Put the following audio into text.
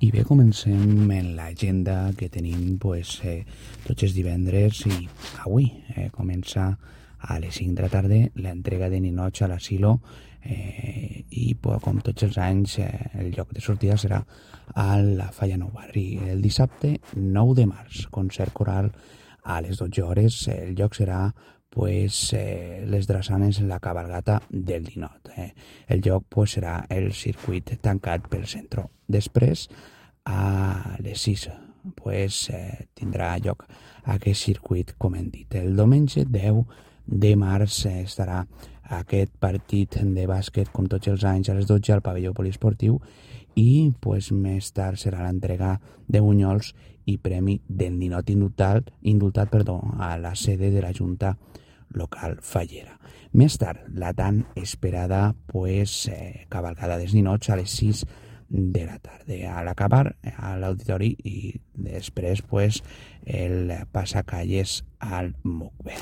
I bé, comencem en l'agenda que tenim tots els divendres i avui. Comença a les 5 de la tarda l'entrega de ninots a l'asilo i com tots els anys el lloc de sortida serà a la Falla Nou Barri. El dissabte 9 de març, concert coral a les 12 hores. El lloc serà les drassanes en la cabalgata del Ninot. El lloc serà el circuit tancat pel centre. Després, a les 6, tindrà lloc aquest circuit, com hem dit. El diumenge 10 de març estarà aquest partit de bàsquet, com tots els anys, a les 12 al pavelló poliesportiu i més tard serà l'entrega de bunyols i premi del ninot indultat a la sede de la Junta local fallera. Més tard, la tan esperada cavalcada dels ninots a les 6 de la tarda. A l'acabar a l'auditori i després el passacalles al Mucbe.